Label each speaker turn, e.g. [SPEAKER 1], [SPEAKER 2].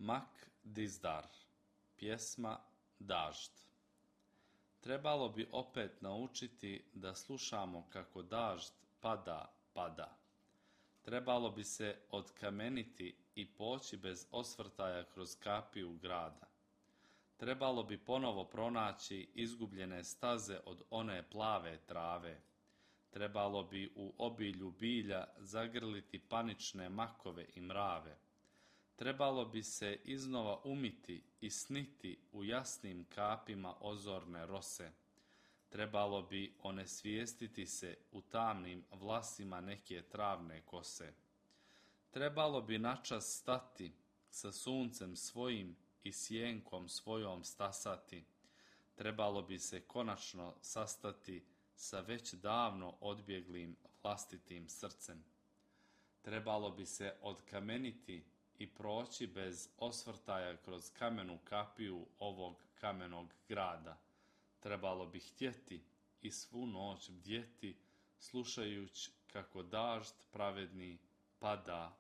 [SPEAKER 1] Mak Dizdar, pjesma Dažd. Trebalo bi opet naučiti da slušamo kako dažd pada. Trebalo bi se odkameniti i poći bez osvrtaja kroz kapiju grada. Trebalo bi ponovo pronaći izgubljene staze od one plave trave. Trebalo bi u obilju bilja zagrliti panične makove i mrave. Trebalo bi se iznova umiti i sniti u jasnim kapima ozorne rose. Trebalo bi onesvijestiti se u tamnim vlasima neke travne kose. Trebalo bi načas stati, sa suncem svojim i sjenkom svojom stasati. Trebalo bi se konačno sastati sa već davno odbjeglim vlastitim srcem. Trebalo bi se odkameniti i proći bez osvrtaja kroz kamenu kapiju ovog kamenog grada. Trebalo bi htjeti i svu noć bdjeti, slušajući kako dažd pravedni pada.